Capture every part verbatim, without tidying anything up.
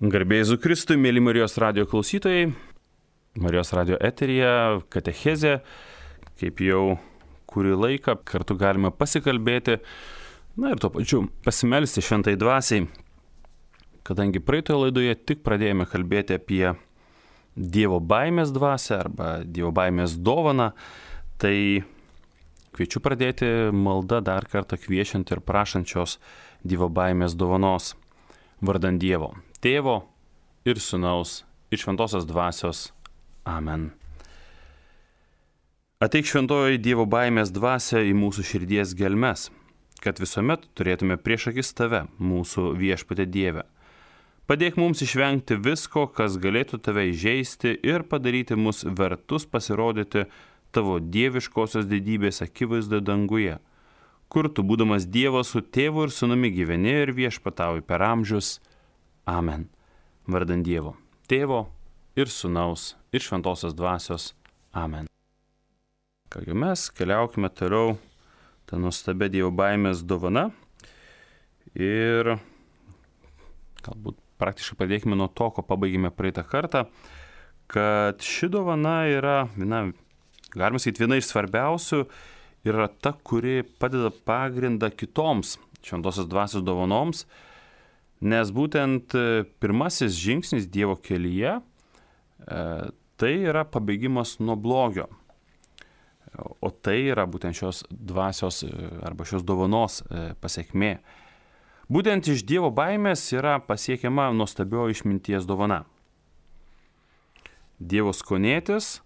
Garbė Jėzui Kristui, mėly Marijos radijo klausytojai, Marijos radijo eteryje, katechezė, kaip jau kurį laiką kartu galime pasikalbėti, na ir tuo pačiu pasimelsti šventai dvasiai, kadangi praeitoje laidoje tik pradėjome kalbėti apie Dievo baimės dvasią arba Dievo baimės dovaną, tai kviečiu pradėti maldą dar kartą kviečiant ir prašančios Dievo baimės dovanos vardan Dievo. Tėvo ir Sūnaus ir Šventosios dvasios. Amen. Ateik šventoji Dievo baimės dvasia į mūsų širdies gelmes, kad visuomet turėtume prieš akis tave, mūsų viešpatė Dieve. Padėk mums išvengti visko, kas galėtų tave įžeisti ir padaryti mus vertus pasirodyti tavo dieviškosios didybės akivaizdoje danguje, kur tu būdamas Dievas su tėvu ir sūnumi gyveni ir viešpatauji per amžius. Amen. Vardan Dievo, Tėvo ir Sūnaus ir Šventosios dvasios. Amen. Kągi mes keliaukime toliau tą nuostabę Dievo baimės dovana ir galbūt praktiškai pradėkime nuo to, ko pabaigėme praeitą kartą, kad ši dovana yra, viena, galima sakyti, viena iš svarbiausių, yra ta, kuri padeda pagrindą kitoms Šventosios dvasios dovanoms, nes būtent pirmasis žingsnis Dievo kelyje e, tai yra pabėgimas nuo blogio. O tai yra būtent šios dvasios arba šios dovanos e, pasiekmė. Būtent iš Dievo baimės yra pasiekiama nuostabioji išminties dovana. Dievo skonėtis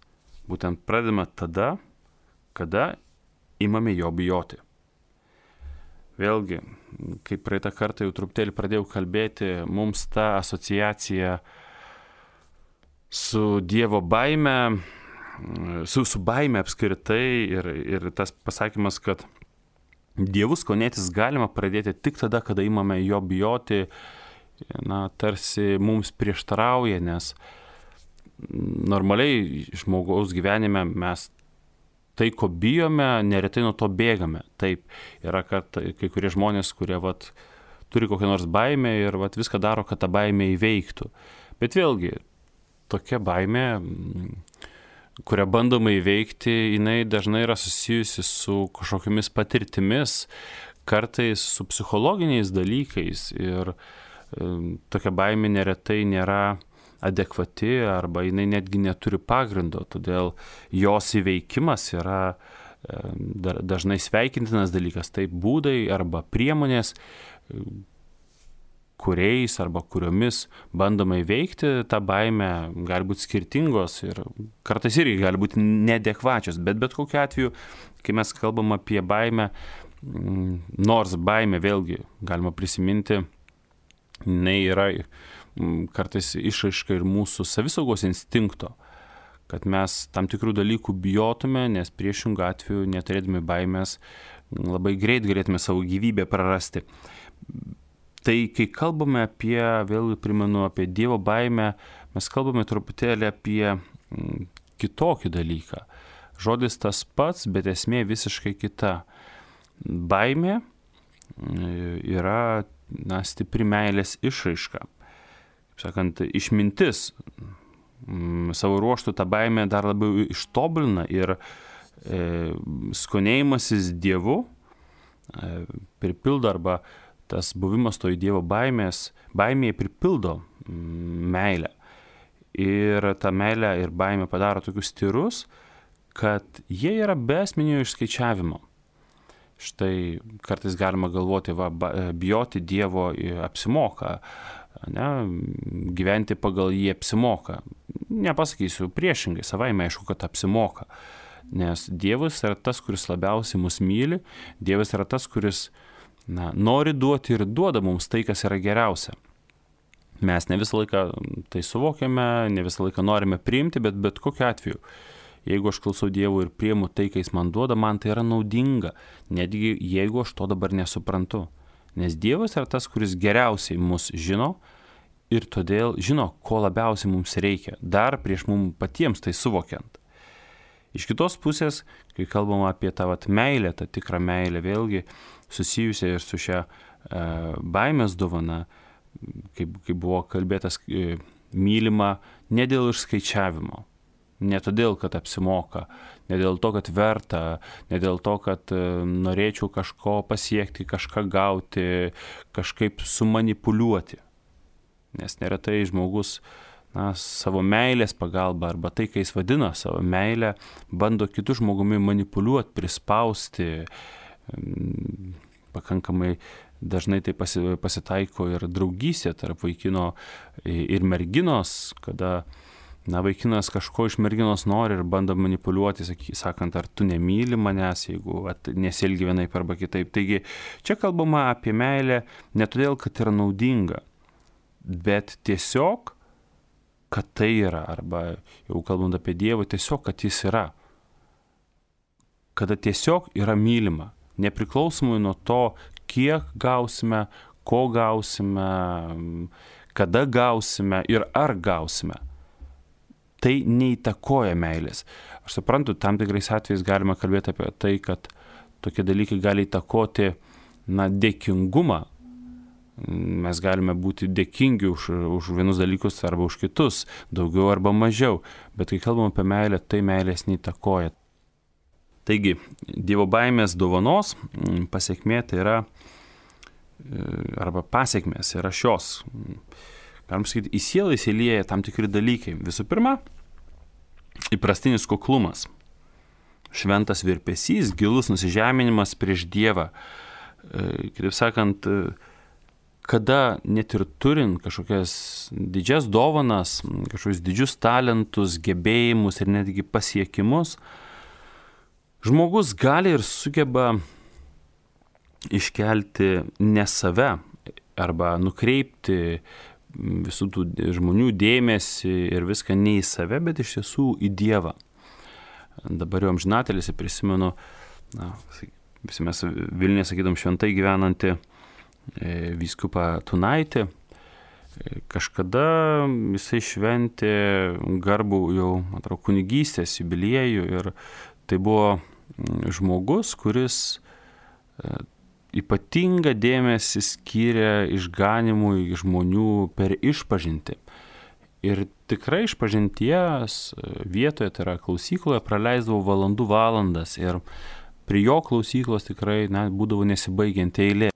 būtent pradedame tada, kada imame jo bijoti. Vėlgi, kaip praeitą kartą jau truputėlį pradėjau kalbėti, mums ta asociacija su Dievo baime, su, su baime apskritai ir, ir tas pasakymas, kad Dievu skonėtis galima pradėti tik tada, kada imame jo bijoti, na, tarsi mums prieštarauja, nes normaliai žmogaus gyvenime mes tai, ko bijome, neretai nuo to bėgame. Taip, yra, kad kai kurie žmonės, kurie vat, turi kokią nors baimę ir vat, viską daro, kad tą baimę įveiktų. Bet vėlgi, tokia baimė, kurią bandoma įveikti, jinai dažnai yra susijusi su kažkokiamis patirtimis, kartais su psichologiniais dalykais ir e, tokia baimė neretai nėra adekvati arba jinai netgi neturi pagrindo, todėl jos įveikimas yra e, dažnai sveikintinas dalykas, tai būdai arba priemonės, e, kuriais arba kuriomis bandoma įveikti tą baimę, gali būti skirtingos ir kartais irgi gali būti neadekvačios, bet bet kokiu atveju, kai mes kalbam apie baimę, nors baimė vėlgi galima prisiminti, jinai yra kartais išraiška ir mūsų savisaugos instinkto, kad mes tam tikrų dalykų bijotume, nes priešingų atveju neturėdami baimės labai greit galėtume savo gyvybę prarasti. Tai kai kalbame apie, vėlgi primenu, apie Dievo baimę, mes kalbame truputėlį apie kitokį dalyką. Žodis tas pats, bet esmė visiškai kita. Baimė yra, na, stipri meilės išraiška. Sakant, išmintis savo ruoštų tą baimę dar labiau ištobulina ir e, skonėjimasis Dievu e, pripildo arba tas buvimas toj Dievo baimės, baimėje pripildo meilę. Ir ta meilė ir baimė padaro tokius tyrus, kad jie yra be esminio išskaičiavimo. Štai kartais galima galvoti, va, bijoti Dievo apsimoka, ne, gyventi pagal jį apsimoka. Nepasakysiu priešingai, savaime aišku, kad apsimoka. Nes Dievas yra tas, kuris labiausiai mus myli, Dievas yra tas, kuris na, nori duoti ir duoda mums tai, kas yra geriausia. Mes ne visą laiką tai suvokiame, ne visą laiką norime priimti, bet bet kokiu atveju. Jeigu aš klausau Dievo ir priimu tai, ką Jis man duoda, man tai yra naudinga, netgi jeigu aš to dabar nesuprantu. Nes Dievas yra tas, kuris geriausiai mus žino ir todėl žino, ko labiausiai mums reikia, dar prieš mums patiems tai suvokiant. Iš kitos pusės, kai kalbam apie tą vat, meilę, tą tikrą meilę, vėlgi susijusią ir su šia e, baimės dovana, kaip, kaip buvo kalbėtas, mylima ne dėl išskaičiavimo, ne todėl, kad apsimoka, ne dėl to, kad verta, ne dėl to, kad norėčiau kažko pasiekti, kažką gauti, kažkaip sumanipuliuoti. Nes neretai žmogus na, savo meilės pagalba arba tai, kai jis vadina savo meilę, bando kitų žmogumi manipuliuoti, prispausti. Pakankamai dažnai tai pasitaiko ir draugystė tarp vaikino ir merginos, kada na, vaikinas kažko iš merginos nori ir bando manipuliuoti, sakant, ar tu nemyli manęs, jeigu nesielgi vienaip arba kitaip. Taigi čia kalbama apie meilę ne todėl, kad yra naudinga, bet tiesiog, kad tai yra, arba jau kalbant apie Dievą, tiesiog, kad jis yra. Kada tiesiog yra mylima, nepriklausomai nuo to, kiek gausime, ko gausime, kada gausime ir ar gausime. Tai neįtakoja meilės. Aš suprantu, tam tikrais atvejais galima kalbėti apie tai, kad tokie dalykai gali įtakoti na, dėkingumą. Mes galime būti dėkingi už, už vienus dalykus arba už kitus, daugiau arba mažiau. Bet kai kalbam apie meilę, tai meilės neįtakoja. Taigi, Dievo baimės dovanos pasiekmė tai yra, arba pasiekmės yra šios. Galim sakyti, į sielą įsilieja tam tikri dalykai. Visų pirma, įprastinis kuklumas, šventas virpesys, gilus nusižeminimas prieš Dievą. Kitaip sakant, kada net ir turint kažkokias didžias dovanas, kažkokius didžius talentus, gebėjimus ir netgi pasiekimus, žmogus gali ir sugeba iškelti ne save arba nukreipti visų tų žmonių dėmesį ir viską ne į save, bet iš tiesų į Dievą. Dabar jau amžinatelėse prisimenu, na, visi mes Vilniuje sakydom šventai gyvenantį e, vyskupą Tunaitį. Kažkada jisai šventė garbų jau, man atrodo, kunigystės jubiliejų ir tai buvo žmogus, kuris e, ypatingą dėmesį skyrė išganimui žmonių per išpažintį. Ir tikrai išpažinties vietoje, tai yra klausykloje, praleisdavau valandų valandas ir prie jo klausyklos tikrai na, būdavo nesibaigianti eilė.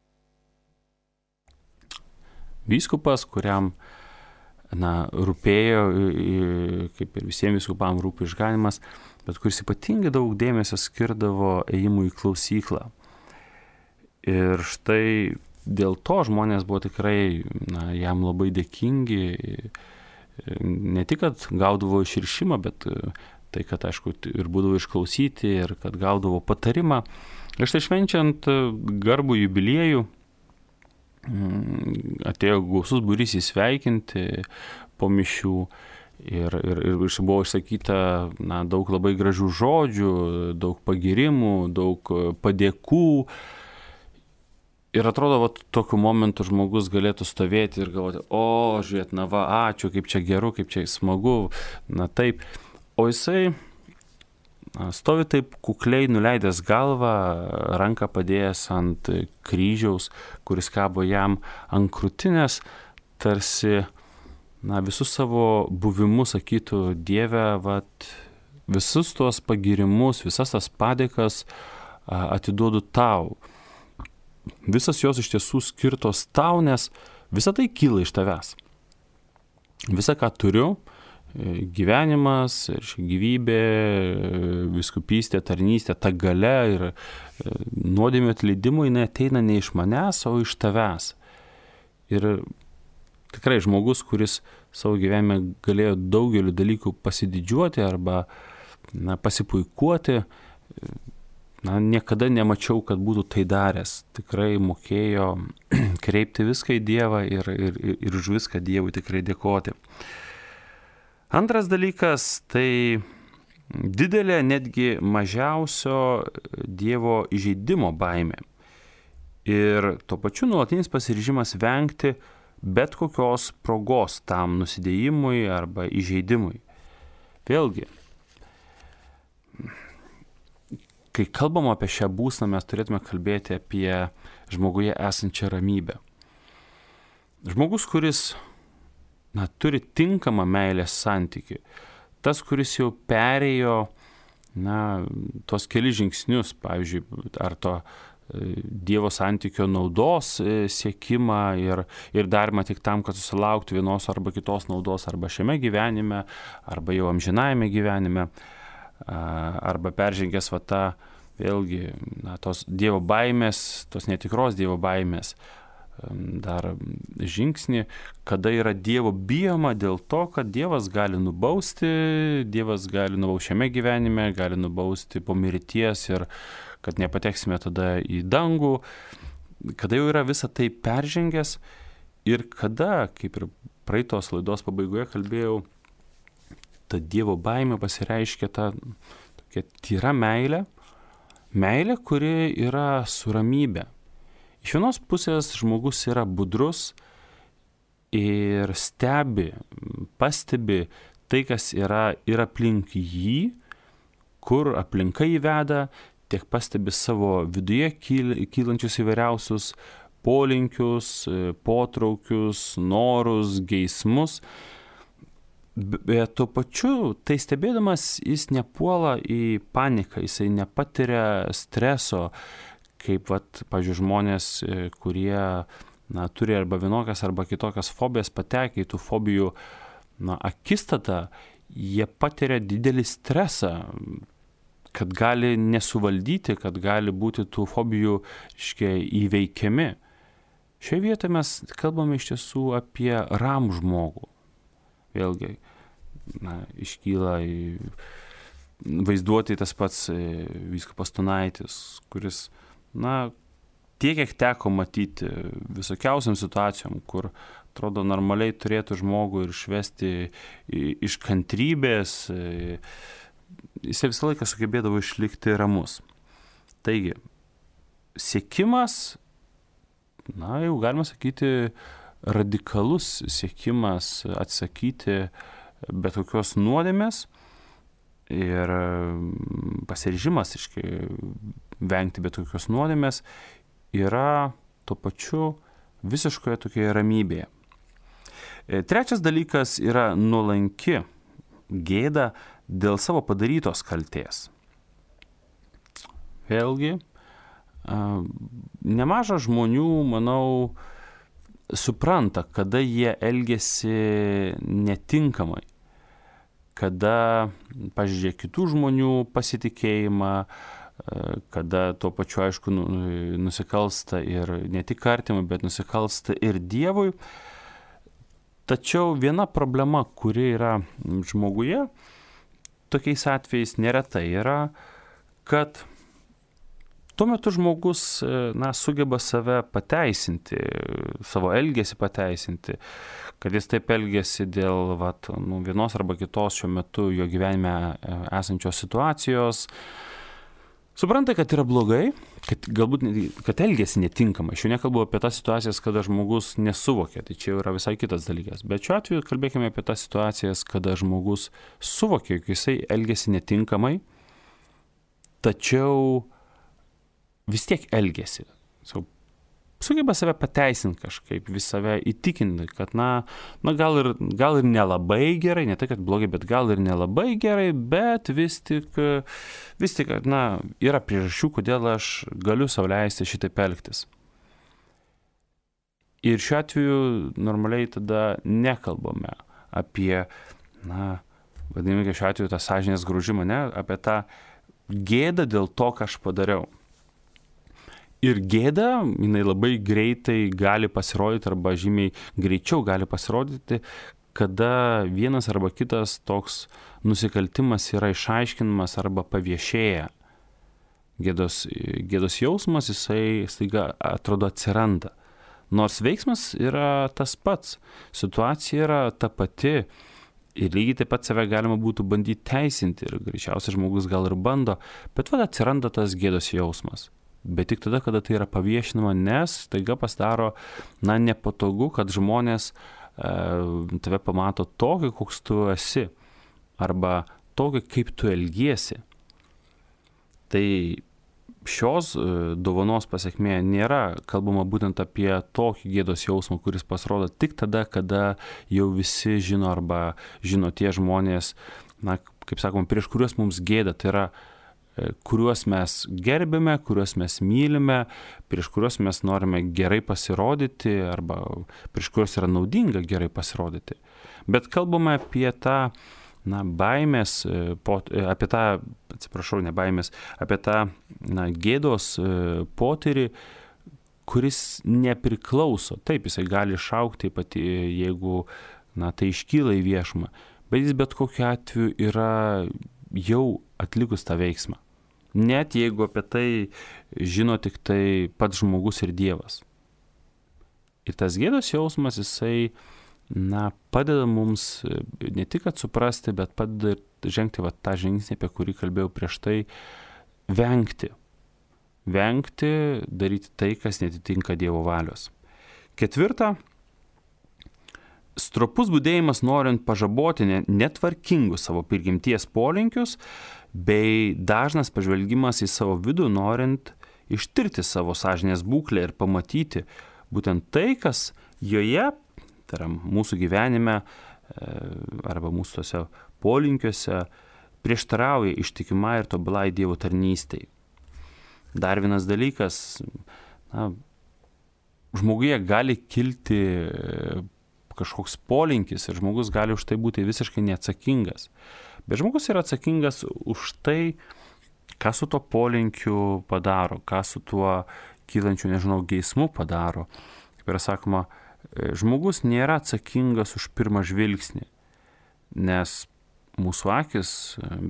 Vyskupas, kuriam na, rūpėjo, kaip ir visiems vyskupam rūpi išganimas, bet kuris ypatingai daug dėmesio skirdavo ėjimui į klausyklą. Ir štai dėl to žmonės buvo tikrai na, jam labai dėkingi, ne tik, kad gaudavo išrišimą, bet tai, kad, aišku, ir būdavo išklausyti, ir kad gaudavo patarimą. Ir štai švenčiant garbų jubiliejų, atėjo gausus būrys įsveikinti po mišių ir, ir, ir buvo išsakyta na, daug labai gražių žodžių, daug pagirimų, daug padėkų. Ir atrodo, va, tokiu momentu žmogus galėtų stovėti ir galvoti, o, žiūrėt, na va, ačiū, kaip čia geru, kaip čia smagu, na taip. O jisai na, stovi taip kukliai nuleidęs galvą, ranką padėjęs ant kryžiaus, kuris kabo jam ant krūtinės, tarsi na, visus savo buvimus sakytų, Dieve, vat, visus tuos pagirimus, visas tas padėkas atiduodu tau. Visas jos iš tiesų skirtos tau, nes visa tai kyla iš tavęs. Visa, ką turiu, gyvenimas, gyvybė, vyskupystė, tarnystė, ta galia ir nuodėmių atleidimo, jinai ateina ne iš manęs, o iš tavęs. Ir tikrai žmogus, kuris savo gyvenime galėjo daugeliu dalykų pasididžiuoti arba na, pasipuikuoti, na, niekada nemačiau, kad būtų tai daręs. Tikrai mokėjo kreipti viską į Dievą ir, ir, ir už viską Dievui tikrai dėkoti. Antras dalykas, tai didelė, netgi mažiausio Dievo įžeidimo baimė. Ir tuo pačiu nuolatinis pasiryžimas vengti bet kokios progos tam nusidėjimui arba įžeidimui. Vėlgi, kai kalbam apie šią būseną, mes turėtume kalbėti apie žmoguje esančią ramybę. Žmogus, kuris na, turi tinkamą meilės santykį, tas, kuris jau perėjo na, tos keli žingsnius, pavyzdžiui, ar to Dievo santykio naudos siekimą ir, ir darymą tik tam, kad susilauktų vienos arba kitos naudos arba šiame gyvenime, arba jau amžinajame gyvenime, arba peržengęs va tą, vėlgi, na, tos Dievo baimės, tos netikros Dievo baimės dar žingsnį, kada yra Dievo bijoma dėl to, kad Dievas gali nubausti, Dievas gali nubausti šiame gyvenime, gali nubausti po mirties ir kad nepateksime tada į dangų, kada jau yra visa tai peržengęs ir kada, kaip ir praeitos laidos pabaigoje kalbėjau, ta Dievo baimė pasireiškia ta tokia tyra meilė, meilė, kuri yra su ramybė. Iš vienos pusės žmogus yra budrus ir stebi, pastebi tai, kas yra ir aplink jį, kur aplinka įveda, tiek pastebi savo viduje kylančius įvairiausius polinkius, potraukius, norus, geismus. Bet tuo pačiu, tai stebėdamas, jis nepuola į paniką, jisai nepatiria streso, kaip, vat, pavyzdžiui, žmonės, kurie na, turi arba vienokias arba kitokias fobijas, patekia į tų fobijų na, akistatą, jie patiria didelį stresą, kad gali nesuvaldyti, kad gali būti tų fobijų, reiškia, įveikiami. Šioje vietoje mes kalbame iš tiesų apie ramų žmogų. Vėlgi, na, iškyla vaizduoti tas pats vyskupas Stonaitis, kuris, na, tiek, kiek teko matyti visokiausiam situacijom, kur, atrodo, normaliai turėtų žmogų ir išvesti iš kantrybės, jis visą laiką sugebėdavo išlikti ramus. Taigi, siekimas, na, jau galima sakyti, radikalus siekimas atsakyti bet kokios nuodėmės ir pasiryžimas, iškai, vengti bet kokios nuodėmės yra tuo pačiu visiškoje tokioje ramybėje. Trečias dalykas yra nuolanki gėda dėl savo padarytos kaltės. Vėlgi, nemaža žmonių, manau, supranta, kada jie elgiasi netinkamai, kada pažeidžia kitų žmonių pasitikėjimą, kada tuo pačiu, aišku, nusikalsta ir ne tik artimui, bet nusikalsta ir Dievui. Tačiau viena problema, kuri yra žmoguje, tokiais atvejais neretai yra, kad tuo metu žmogus na, sugeba save pateisinti, savo elgesį pateisinti, kad jis taip elgesi dėl vat, nu, vienos arba kitos šiuo metu jo gyvenime esančios situacijos. Supranta, kad yra blogai, kad galbūt kad elgesi netinkamai. Aš jau nekalbu apie tas situacijas, kada žmogus nesuvokia, tai čia yra visai kitas dalykas. Bet šiuo atveju kalbėkime apie tas situacijas, kada žmogus suvokia, jog jisai elgesi netinkamai, tačiau vis tiek elgesi. So, sugeba save pateisinti kažkaip, vis save įtikinti, kad na, na gal, ir, gal ir nelabai gerai, ne tai, kad blogai, bet gal ir nelabai gerai, bet vis tik, vis tik na, yra priežasčių, kodėl aš galiu sau leisti šitaip elgtis. Ir šiuo atveju normaliai tada nekalbame apie, na, vadinamai šiuo atveju tą sąžinės graužimą, ne, apie tą gėdą dėl to, ką aš padariau. Ir gėda, jinai labai greitai gali pasirodyti arba žymiai greičiau gali pasirodyti, kada vienas arba kitas toks nusikaltimas yra išaiškinamas arba paviešėja. Gėdos, gėdos jausmas, jisai staiga atrodo atsiranda. Nors veiksmas yra tas pats, situacija yra ta pati ir lygiai taip pat save galima būtų bandyti teisinti ir greičiausiai žmogus gal ir bando, bet vad atsiranda tas gėdos jausmas. Bet tik tada, kada tai yra paviešinama, nes taiga pasidaro, na, nepatogu, kad žmonės e, tave pamato tokį, koks tu esi, arba tokį, kaip tu elgiesi. Tai šios dovanos pasekmė nėra kalbama būtent apie tokį gėdos jausmą, kuris pasirodo tik tada, kada jau visi žino arba žino tie žmonės, na, kaip sakom, prieš kuriuos mums gėda, tai yra kuriuos mes gerbime, kuriuos mes mylime, prieš kuriuos mes norime gerai pasirodyti arba prieš kuriuos yra naudinga gerai pasirodyti. Bet kalbame apie tą, na, baimės, apie tą, atsiprašau, ne baimės, apie tą, na, gėdos potyrį, kuris nepriklauso. Taip, jisai gali išaukti, pati, jeigu, na, tai iškyla į viešumą, bet jis bet kokiu atveju yra jau atlikus tą veiksmą. Net jeigu apie tai žino tik tai pats žmogus ir Dievas. Ir tas gėdos jausmas, jisai, na, padeda mums ne tik atsuprasti, bet padeda žengti va, tą žingsnį, apie kurį kalbėjau prieš tai, vengti. Vengti, daryti tai, kas netitinka Dievo valios. Ketvirta. Stropus būdėjimas norint pažaboti netvarkingus savo prigimties polinkius, bei dažnas pažvelgimas į savo vidų norint ištirti savo sąžinės būklę ir pamatyti būtent tai, kas joje, tai yra mūsų gyvenime arba mūsų tose polinkiuose, prieštarauja ištikimai ir tobulai Dievo tarnystei. Dar vienas dalykas, na, žmoguje gali kilti kažkoks polinkis ir žmogus gali už tai būti visiškai neatsakingas. Bet žmogus yra atsakingas už tai, ką su tuo polinkiu padaro, ką su tuo kylančiu, nežinau, geismu padaro. Kaip yra sakoma, žmogus nėra atsakingas už pirmą žvilgsnį, nes mūsų akis,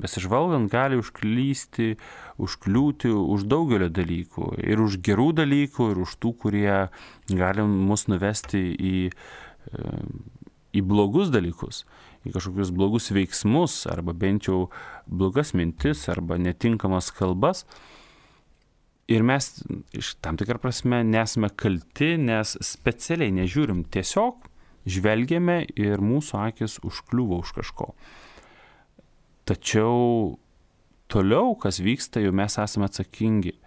besižvalgant, gali užklysti, užkliūti už daugelio dalykų. Ir už gerų dalykų, ir už tų, kurie gali mus nuvesti į į blogus dalykus, į kažkokius blogus veiksmus, arba bent jau blogas mintis, arba netinkamas kalbas. Ir mes iš tam tikrą prasme nesame kalti, nes specialiai nežiūrim, tiesiog žvelgiame ir mūsų akis užkliūva už kažko. Tačiau toliau, kas vyksta, jau mes esame atsakingi.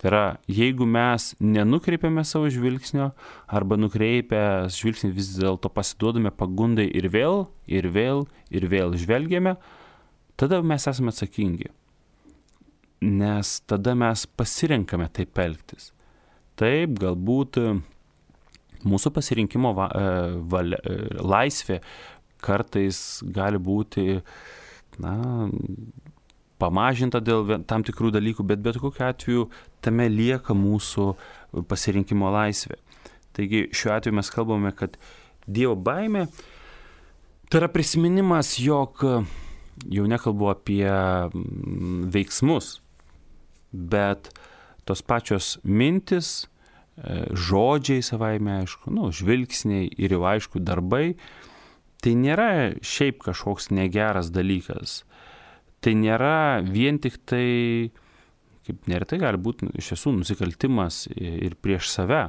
Tai yra, jeigu mes nenukreipiame savo žvilgsnio arba nukreipę žvilgsnį vis dėlto pasiduodame pagundai ir vėl, ir vėl, ir vėl žvelgiame, tada mes esame atsakingi. Nes tada mes pasirenkame taip elgtis. Taip, galbūt mūsų pasirinkimo va, valia, laisvė kartais gali būti, na, pamažinta dėl tam tikrų dalykų, bet bet kokiu atveju tame lieka mūsų pasirinkimo laisvė. Taigi šiuo atveju mes kalbame, kad Dievo baimė tai yra prisiminimas, jog jau nekalbu apie veiksmus, bet tos pačios mintis, žodžiai savaime, aišku, nu, žvilgsniai ir jau aišku darbai, tai nėra šiaip kažkoks negeras dalykas. Tai nėra vien tik tai, kaip neretai gali būti iš tiesų nusikaltimas ir prieš save.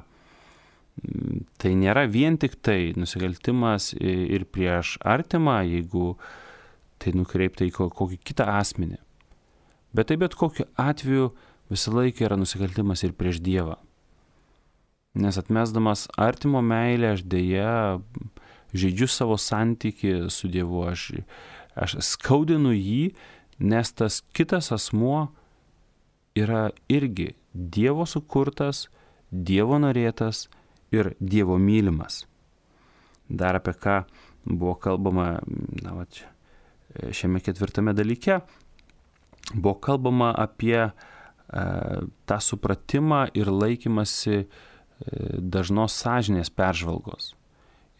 Tai nėra vien tik tai nusikaltimas ir prieš artimą, jeigu tai nukreipta į kokį kitą asmenį. Bet tai bet kokiu atveju visą laiką yra nusikaltimas ir prieš Dievą. Nes atmesdamas artimo meilę, aš dėja žaidžiu savo santykį su Dievu, aš, aš skaudinu jį, nes tas kitas asmuo yra irgi Dievo sukurtas, Dievo norėtas ir Dievo mylimas. Dar apie ką buvo kalbama, na, va, čia, šiame ketvirtame dalyke, buvo kalbama apie e, tą supratimą ir laikymasi e, dažnos sąžinės peržvalgos.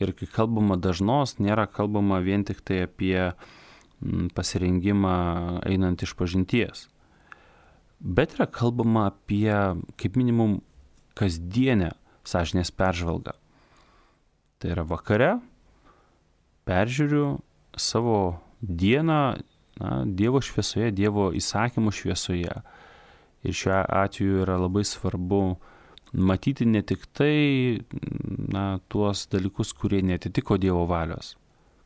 Ir kai kalbama dažnos, nėra kalbama vien tik tai apie pasirengimą einant iš pažinties. Bet yra kalbama apie, kaip minimum, kasdienę sąžinės peržvalgą. Tai yra vakare peržiūriu savo dieną, na, Dievo šviesoje, Dievo įsakymų šviesoje. Ir šiuo atveju yra labai svarbu matyti ne tik tai, na, tuos dalykus, kurie netitiko Dievo valios.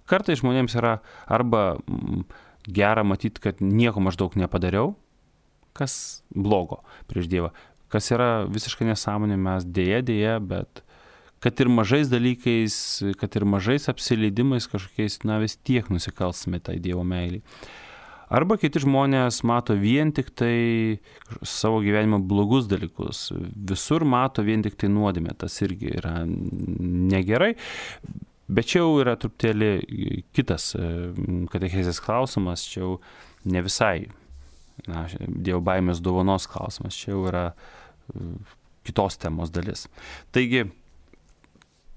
Kartais žmonėms yra arba gera matyti, kad nieko maždaug nepadariau, kažkas blogo prieš Dievą, kas yra visiškai nesąmonė, mes dėja, dėja, bet kad ir mažais dalykais, kad ir mažais apsileidimais kažkokiais, na vis tiek nusikalsime tai Dievo meilį. Arba kiti žmonės mato vien tik tai savo gyvenimo blogus dalykus, visur mato vien tik tai nuodėmę, tas irgi yra negerai, bet čia jau yra truputėlį kitas katechezės klausimas, čia jau ne visai na, Dievo baimės dovanos klausimas, čia jau yra kitos temos dalis. Taigi,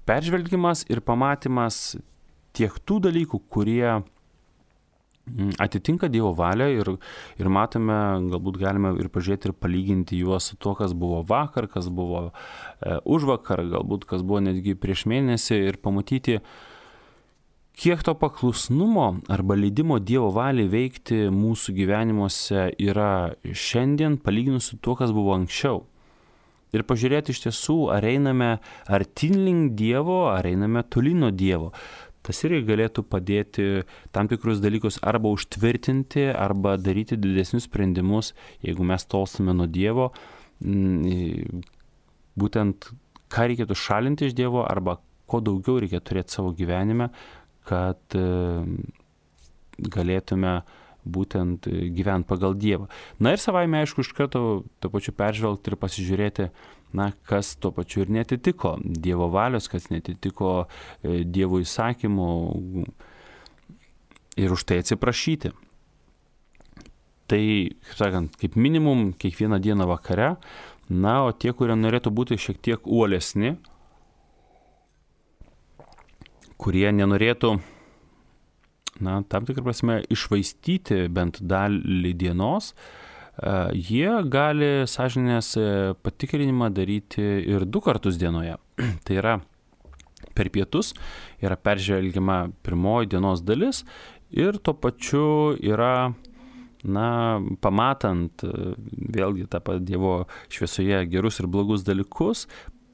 peržvelgimas ir pamatymas tiek tų dalykų, kurie atitinka Dievo valią ir, ir matome, galbūt galime ir pažiūrėti ir palyginti juos su to, kas buvo vakar, kas buvo e, už vakar, galbūt kas buvo netgi prieš mėnesį ir pamatyti, kiek to paklusnumo arba leidimo Dievo valiai veikti mūsų gyvenimuose yra šiandien palyginus su to, kas buvo anksčiau. Ir pažiūrėti iš tiesų, ar einame artyn link Dievo, ar einame tolyn nuo Dievo. Tas irgi galėtų padėti tam tikrus dalykus arba užtvirtinti, arba daryti didesnius sprendimus, jeigu mes tolstame nuo Dievo, būtent ką reikėtų šalinti iš Dievo, arba ko daugiau reikia turėti savo gyvenime, kad galėtume būtent gyventi pagal Dievą. Na ir savaime, aišku, iš karto to pačiu peržvelgti ir pasižiūrėti, na, kas to pačiu ir netitiko Dievo valios, kas netitiko Dievo įsakymų ir už tai atsiprašyti. Tai, kaip sakant, kaip minimum kiekvieną dieną vakare, na, o tie, kurie norėtų būti šiek tiek uolesni, kurie nenorėtų na, tam tikrą prasme išvaistyti bent dalį dienos, jie gali sąžinės patikrinimą daryti ir du kartus dienoje. Tai yra per pietus yra peržvelgiama pirmoji dienos dalis ir tuo pačiu yra, na, pamatant vėlgi tą pat Dievo šviesoje gerus ir blogus dalykus,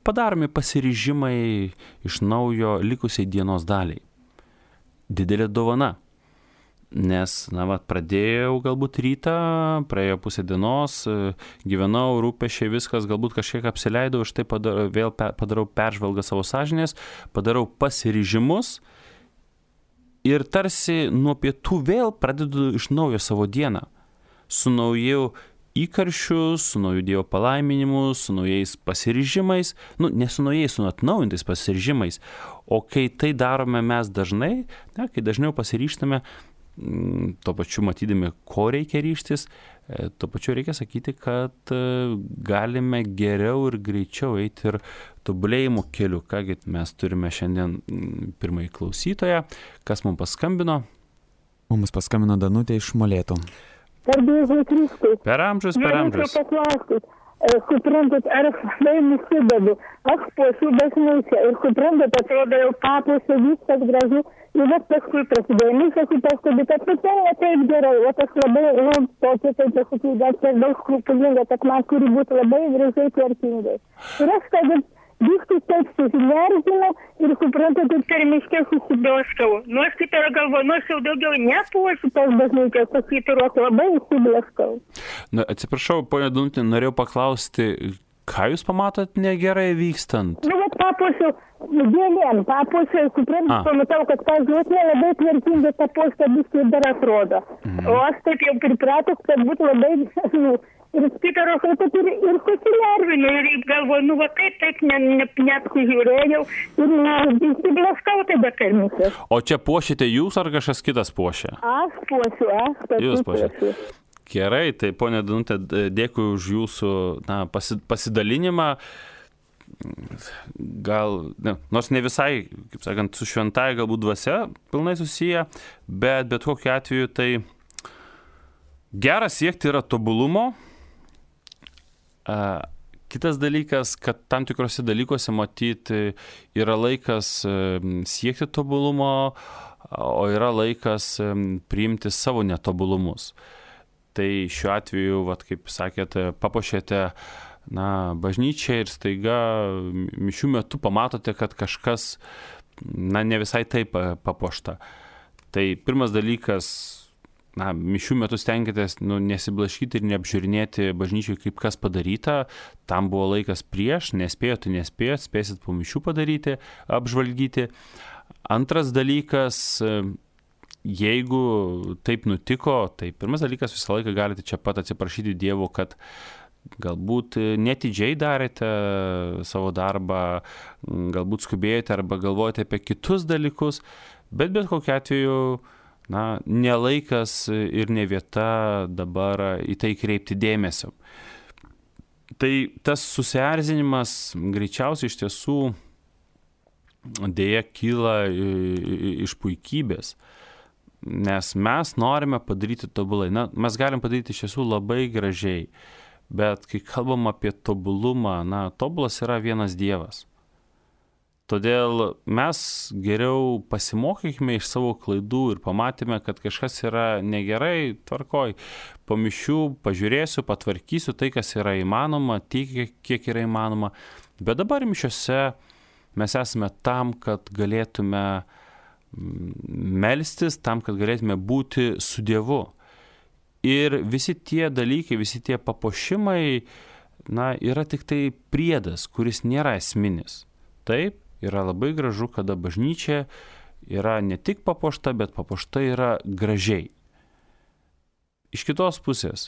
padaromi pasiryžimai iš naujo likusiai dienos daliai. Didelė dovana, nes, na, va, pradėjau galbūt rytą, praėjo pusę dienos, gyvenau, rūpesčiai, viskas, galbūt kažkiek apsileidau, aš tai padarau, vėl padarau peržvalgą savo sąžinės, padarau pasiryžimus ir tarsi nuo pietų vėl pradedu iš naujo savo dieną, su nauju įkarščiu, su nauju Dievo palaiminimu, su naujais pasiryžimais, nu, ne su naujais, su atnaujintais pasiryžimais, o kai tai darome mes dažnai, ne, kai dažniau pasiryžtame, tuo pačiu matydami, ko reikia ryžtis, tuo pačiu reikia sakyti, kad galime geriau ir greičiau eiti ir tobulėjimo keliu. Kągi mes turime šiandien pirmąjį klausytoją, kas mums paskambino? Mums paskambino Danutė iš Molėtų. Garbėsiu Kristui. Per amžius, per amžius. Norėčiau paklausti, suprantat, ar aš labai nusidedu, aš puošiu bažnyčią ir suprantat, atrodo jau papuošiu, viskas gražu, ir vat paskui prasidėjo, misas į paskui, kad tai ne taip gerai, vat aš labai, nu, tokia taip pasakyti, dar per daug skrupulinga, kad man turi būti labai gražiai tvarkingai. Ir aš tada viskas taip susinervino ir suprantat, ir per miškę susiblaškau. Nu, aš kaip ir galvoju, nu, aš jau daugiau nepuošiu tos bažnyčios, aš kaip ir labai susiblaškau. Na, atsiprašau, ponia Danutė, norėjau paklausti, ką jūs pamatot negerai vykstant? Nu, vat papuošiu gėlėm, papuošiu, suprantat, pamatau, kad ta žuosnė labai tvarkinga, ta puošta biškai dar atrodo. Mhm. O aš taip jau pripratęs, kad būtų labai, nu, ir spikaros, ir, ir susinervinu, ir galvoju, nu, va kaip taip ne, ne, neapsižiūrėjau, ir įsiblaškau tada karmysės. O čia puošite jūs ar kažkas kitas puošia? Aš puošiu, aš pati jūs puošiu. Gerai, tai ponia Danutė, dėkui už jūsų na, pasi, pasidalinimą. Gal, ne, nors ne visai, kaip sakant, su šventąja galbūt dvasia pilnai susiję, bet bet kokiu atveju tai gera siekti yra tobulumo. Uh, kitas dalykas, kad tam tikrose dalykuose matyti yra laikas uh, siekti tobulumo, o yra laikas um, priimti savo netobulumus. Tai šiuo atveju, vat, kaip sakėte, papuošėte na, bažnyčią ir staiga mišių metu pamatote, kad kažkas na, ne visai taip papuošta. Tai pirmas dalykas, na, mišių metu stenkitės nu, nesiblaškyti ir neapžiūrinėti bažnyčiai, kaip kas padaryta. Tam buvo laikas prieš, nespėjot, tai nespėjot, spėsit po mišių padaryti, apžvalgyti. Antras dalykas, jeigu taip nutiko, tai pirmas dalykas visą laiką galite čia pat atsiprašyti Dievo, kad galbūt netidžiai darėte savo darbą, galbūt skubėjote arba galvojate apie kitus dalykus, bet bet kokiu atveju na, ne laikas ir ne vieta dabar į tai kreipti dėmesio. Tai tas susierzinimas greičiausiai iš tiesų dėja kyla iš puikybės, nes mes norime padaryti tobulai. Na, mes galim padaryti iš tiesų labai gražiai, bet kai kalbam apie tobulumą, na, tobulas yra vienas Dievas. Todėl mes geriau pasimokykime iš savo klaidų ir pamatėme, kad kažkas yra negerai, tvarkoj, po mišių pažiūrėsiu, patvarkysiu tai, kas yra įmanoma, tiek, kiek yra įmanoma. Bet dabar mišiose mes esame tam, kad galėtume melstis, tam, kad galėtume būti su Dievu. Ir visi tie dalykai, visi tie papuošimai, na, yra tik tai priedas, kuris nėra esminis. Taip? Yra labai gražu, kada bažnyčia yra ne tik papuošta, bet papuošta yra gražiai. Iš kitos pusės,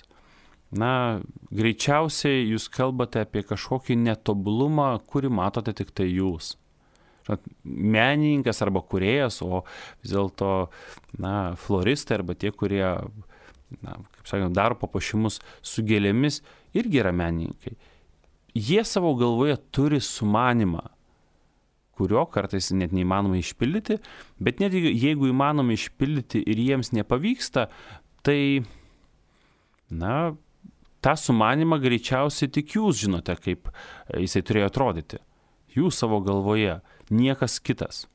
na, greičiausiai jūs kalbate apie kažkokį netobulumą, kurį matote tik tai jūs. Menininkas arba kūrėjas, o vis dėlto, na, floristai arba tie, kurie, na, kaip sakant, daro papuošimus su gėlėmis, irgi yra menininkai. Jie savo galvoje turi sumanimą, kurio kartais net neįmanoma išpildyti, bet net jeigu įmanoma išpildyti ir jiems nepavyksta, tai, na, tą sumanimą greičiausiai tik jūs žinote, kaip jisai turėjo atrodyti. Jūs savo galvoje, niekas kitas.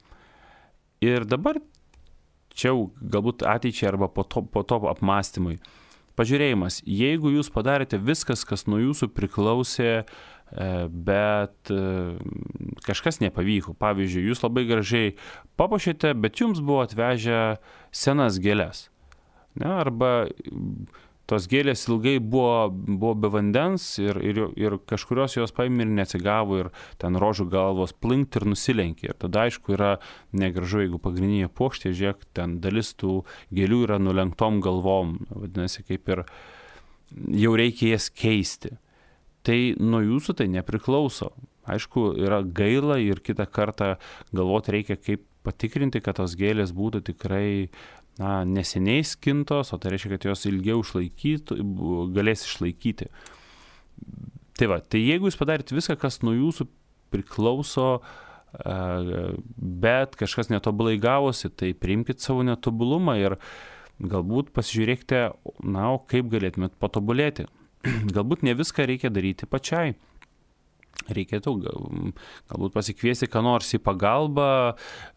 Ir dabar, čia galbūt ateičiai arba po to, po to apmąstymui, pažiūrėjimas, jeigu jūs padarėte viskas, kas nuo jūsų priklausė, bet kažkas nepavyko. Pavyzdžiui, jūs labai gražiai papuošėte, bet jums buvo atvežę senas gėles. Ne? Arba tos gėlės ilgai buvo, buvo be vandens ir, ir, ir kažkurios jos paėmė ir neatsigavo ir ten rožių galvos plinkt ir nusilenkė. Ir tada aišku yra negražu, jeigu pagrindinė puokštė, žiūrėk, ten dalis tų gėlių yra nulenktom galvom. Vadinasi, kaip ir jau reikia jas keisti. Tai nuo jūsų tai nepriklauso. Aišku, yra gaila ir kitą kartą galvoti reikia, kaip patikrinti, kad tos gėlės būtų tikrai na, neseniai skintos, o tai reiškia, kad jos ilgiau išlaikytų, galės išlaikyti. Tai va, tai jeigu jūs padarėte viską, kas nuo jūsų priklauso, bet kažkas netobulai gavosi, tai priimkite savo netobulumą ir galbūt pasižiūrėkite, na, kaip galėtumėt patobulėti. Galbūt ne viską reikia daryti pačiai. Reikėtų galbūt pasikviesti ką nors į pagalbą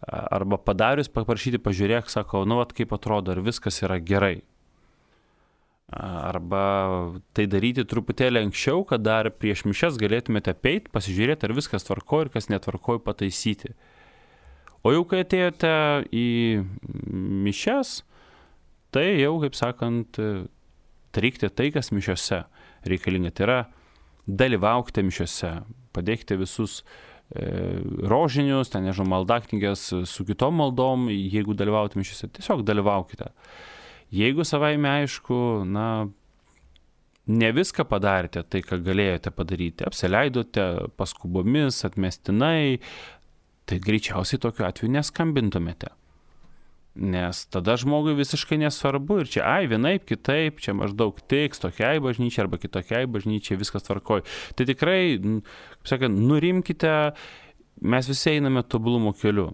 arba padarius paprašyti, pažiūrėk, sako, nu, vat, kaip atrodo, ar viskas yra gerai. Arba tai daryti truputėlį anksčiau, kad dar prieš mišias galėtumėte apeit, pasižiūrėti, ar viskas tvarko ir kas netvarko pataisyti. O jau kai atėjote į mišias, tai jau, kaip sakant, darykite tai, kas mišiose reikalinga. Tai yra dalyvaukite mišiose, padėkite visus e, rožinius, ten nežinau, maldaknygės su kitom maldom, jeigu dalyvaujate mišiose, tiesiog dalyvaukite. Jeigu savaime aišku, na, ne viską padarėte tai, ką galėjote padaryti, apsileidote paskubomis, atmestinai, tai greičiausiai tokiu atveju neskambintumėte. Nes tada žmogui visiškai nesvarbu ir čia, ai, vienaip, kitaip, čia maždaug tiks tokiai bažnyčiai arba kitokiai bažnyčiai, viskas tvarkoj. Tai tikrai, kaip sakant, nurimkite, mes visi einame tobulumo keliu.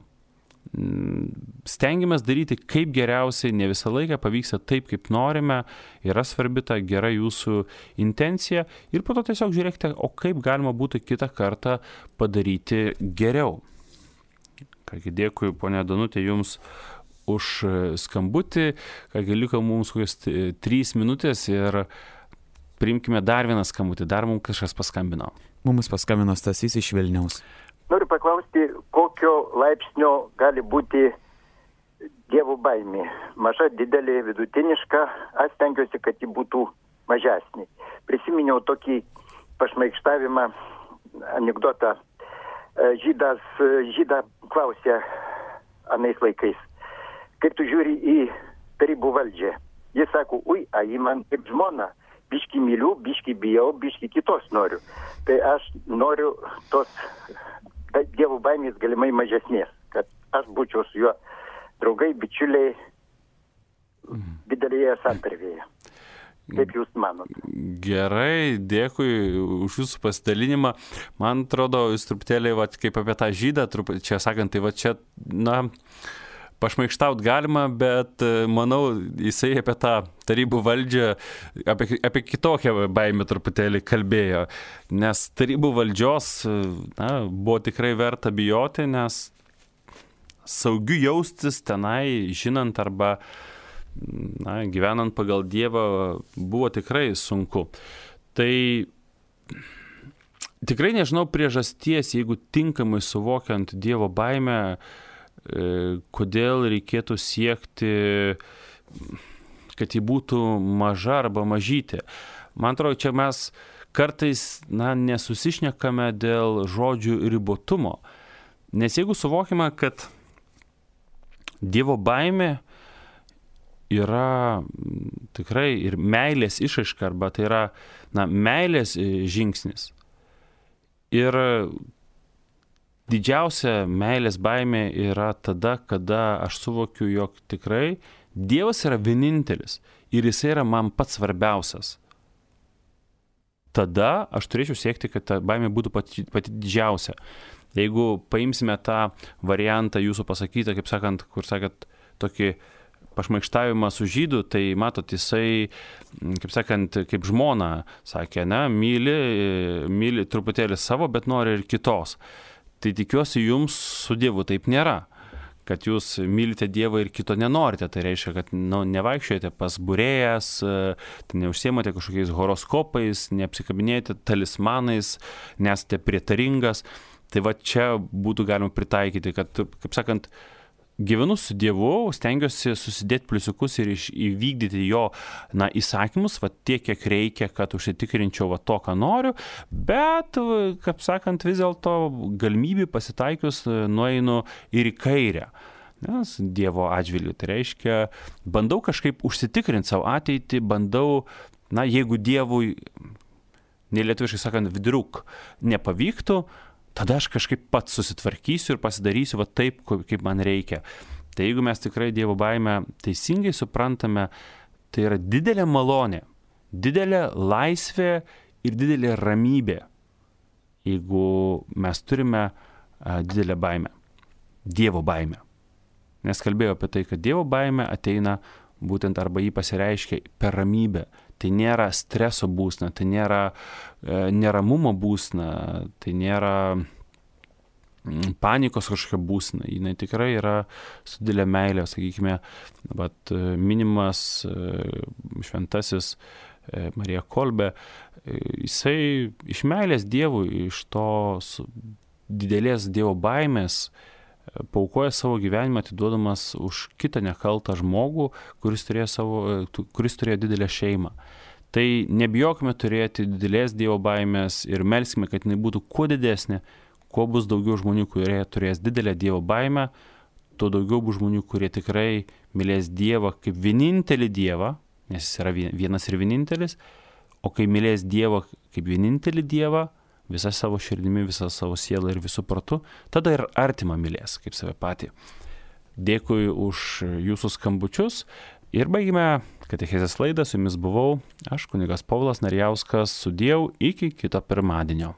Stengiamės daryti kaip geriausiai, ne visą laiką pavyksta taip, kaip norime, yra svarbi ta gera jūsų intencija ir po to tiesiog žiūrėkite, o kaip galima būtų kitą kartą padaryti geriau. Kągi, dėkui, ponia Danutė, jums už skambutį, kągi liko mums kokios trys minutės ir priimkime dar vieną skambutį, dar mums kažkas paskambino. Mums paskambino Stasys iš Vilniaus. Noriu paklausti, kokio laipsnio gali būti Dievo baimė. Maža, didelė, vidutiniška. Aš stengiuosi, kad ji būtų mažesnė. Prisiminiau tokį pašmaikštavimą, anekdotą. Žydas, žydą klausė anais laikais, kaip tu žiūri į tarybų valdžią. Jis sako, ui, a jį man kaip žmona, biški myliu, biški bijau, biški kitos noriu. Tai aš noriu tos Dievo baimės galimai mažesnės, kad aš būčiau su juo draugai, bičiuliai didelėje santarvėje. Kaip jūs manot? Gerai, dėkui už jūsų pasidalinimą. Man atrodo, jūs truputėlį, va, kaip apie tą žydą, trup, čia sakant, tai va čia, na, pašmaikštaut galima, bet manau, jisai apie tą tarybų valdžią, apie, apie kitokią baimę truputėlį kalbėjo. Nes tarybų valdžios, na, buvo tikrai verta bijoti, nes saugiu jaustis tenai, žinant arba na, gyvenant pagal Dievą buvo tikrai sunku. Tai tikrai nežinau priežasties, jeigu tinkamai suvokiant Dievo baimę, kodėl reikėtų siekti, kad ji būtų maža arba mažytė. Man atrodo, čia mes kartais na, nesusišnekame dėl žodžių ribotumo. Nes jeigu suvokime, kad Dievo baimė yra tikrai ir meilės išraiška, arba tai yra na, meilės žingsnis. Ir didžiausia meilės baimė yra tada, kada aš suvokiu, jog tikrai Dievas yra vienintelis ir jisai yra man pats svarbiausias. Tada aš turėčiau siekti, kad ta baimė būtų pati, pati didžiausia. Jeigu paimsime tą variantą jūsų pasakytą, kaip sakant, kur sakėt, tokį pašmaikštavimą su žydu, tai matot, jisai, kaip sakant, kaip žmona sakė, ne, myli, myli truputėlį savo, bet nori ir kitos. Tai tikiuosi jums su Dievu taip nėra, kad jūs mylite Dievą ir kito nenorite. Tai reiškia, kad nu, nevaikščiojate pas būrėjas, tai neužsiemate kažkokiais horoskopais, neapsikabinėjate talismanais, nesate prietaringas. Tai va čia būtų galima pritaikyti, kad, kaip sakant, gyvenu su Dievu, stengiuosi susidėti pliusiukus ir iš, įvykdyti jo na, įsakymus, va, tiek, kiek reikia, kad užsitikrinčiau va, to, ką noriu, bet, kaip sakant, vis dėlto galimybė pasitaikius nueinu ir į kairę. Nes Dievo atžvilgiu, tai reiškia, bandau kažkaip užsitikrinti savo ateitį, bandau, na, jeigu Dievui, nelietuviškai sakant, vidriuk nepavyktų, tada aš kažkaip pats susitvarkysiu ir pasidarysiu va taip, kaip man reikia. Tai jeigu mes tikrai Dievo baimę teisingai suprantame, tai yra didelė malonė, didelė laisvė ir didelė ramybė, jeigu mes turime a, didelę baimę, Dievo baimę. Nes kalbėjau apie tai, kad Dievo baimė ateina būtent arba jį pasireiškia per ramybę. Tai nėra streso būsna, tai nėra e, neramumo būsna, tai nėra panikos kažkokia būsna. Jis tikrai yra su didelė meilė, sakykime, bet minimas e, šventasis e, Marija Kolbė, e, jisai iš meilės Dievui, iš tos didelės Dievo baimės paaukoja savo gyvenimą, atiduodamas už kitą nekaltą žmogų, kuris turėjo, savo, kuris turėjo didelę šeimą. Tai nebijokime turėti didelės Dievo baimės ir melskime, kad jinai būtų kuo didesnė, kuo bus daugiau žmonių, kurie turės didelę Dievo baimę, tuo daugiau bus žmonių, kurie tikrai mylės Dievą kaip vienintelį Dievą, nes jis yra vienas ir vienintelis, o kai mylės Dievą kaip vienintelį Dievą, visą savo širdimi, visą savo sielą ir visų protu, tada ir artimą mylės, kaip save patį. Dėkui už jūsų skambučius ir baigime katechezės laidą, su jumis buvau aš, kunigas Povilas Narijauskas, sudiev iki kito pirmadienio.